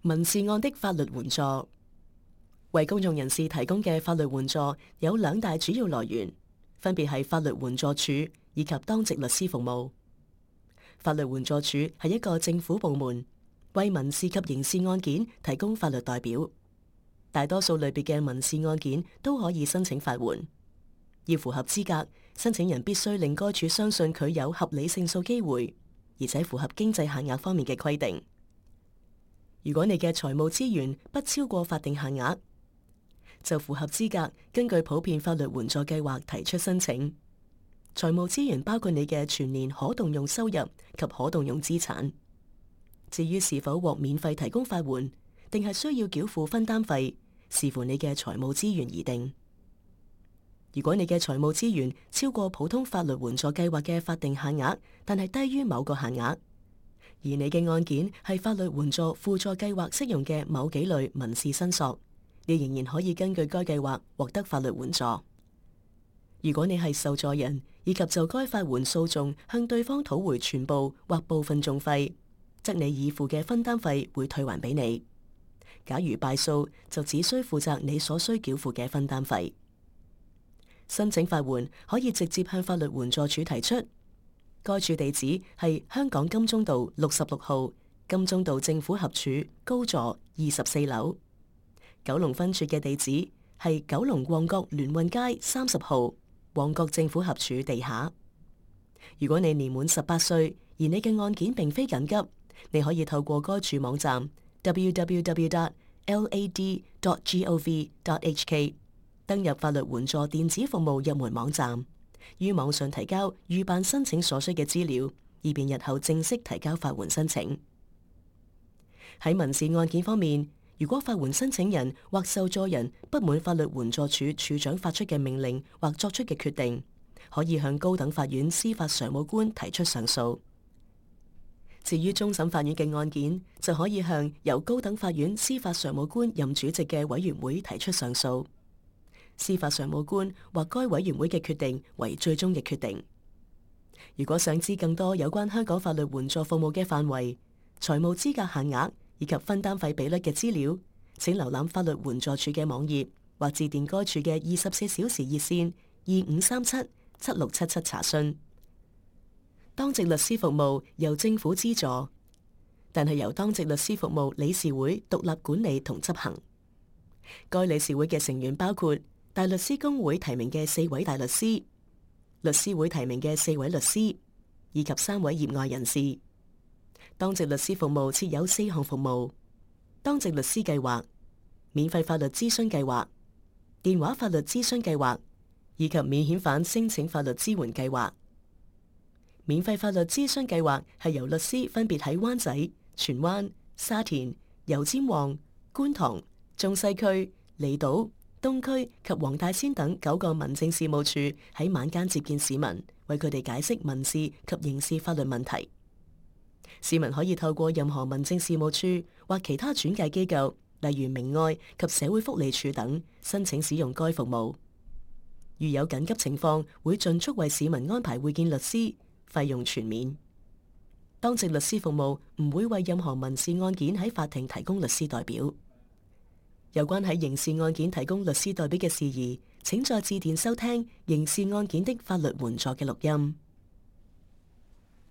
民事案的法律援助。為公眾人士提供嘅法律援助有兩大主要來源，分別係法律援助署以及當值律師服務。法律援助署係一個政府部門，為民事及刑事案件提供法律代表。大多數類別嘅民事案件都可以申請法援。要符合資格，申請人必須令該署相信佢有合理勝訴機會，而且符合經濟限額方面嘅規定。如果你嘅財務資源不超過法定限額，就符合資格根據普遍法律援助計劃提出申請。財務資源包括你嘅全年可動用收入及可動用資產。至於是否獲免費提供法援，定係需要繳付分擔費，視乎你嘅財務資源而定。如果你嘅財務資源超過普通法律援助計劃嘅法定限額，但係低於某個限額，而你嘅案件係法律援助輔助計劃適用嘅某幾類民事申索，你仍然可以根據該計劃獲得法律援助。如果你係受助人，以及就該法援訴訟向對方討回全部或部分訟費，則你已付嘅分擔費會退還俾你。假如敗訴，就只需負責你所需繳付嘅分擔費。申請法援可以直接向法律援助署提出。該處地址係香港金鐘道66號金鐘道政府合署高座24樓。九龍分處嘅地址係九龍旺角聯運街30號旺角政府合署地下。如果你年滿18歲，而你嘅案件並非緊急，你可以透過該處網站 www.lad.gov.hk 登入法律援助電子服務入門網站，於網上提交預辦申請所需嘅資料，以便日後正式提交法援申請。喺民事案件方面，如果法援申請人或受助人不滿法律援助署署長發出嘅命令或作出嘅決定，可以向高等法院司法常務官提出上訴。至於終審法院嘅案件，就可以向由高等法院司法常務官任主席嘅委員會提出上訴。司法常務官或該委員會嘅決定為最終嘅決定。如果想知更多有關香港法律援助服務嘅範圍、財務資格限額以及分擔費比率嘅資料，請瀏覽法律援助署嘅網頁或致電該處嘅24小時熱線2537-7677查詢。當值律師服務由政府資助，但係由當值律師服務理事會獨立管理同執行。該理事會嘅成員包括大律師公會提名嘅4位大律師、律師會提名嘅4位律師，以及3位業外人士。當值律師服務設有4項服務：當值律師計劃、免費法律諮詢計劃、電話法律諮詢計劃，以及免遣返申請法律支援計劃。免費法律諮詢計劃係由律師分別喺灣仔、荃灣、沙田、油尖旺、觀塘、中西區、離島、東區及黃大仙等9個民政事務處喺晚間接見市民，為佢哋解釋民事及刑事法律問題。市民可以透過任何民政事務處或其他轉介機構，例如明愛及社會福利署等，申請使用該服務。如有緊急情況，會盡速為市民安排會見律師，費用全免。當值律師服務唔會為任何民事案件喺法庭提供律師代表。有關喺刑事案件提供律師代表嘅事宜，請再致電收聽刑事案件的法律援助嘅錄音。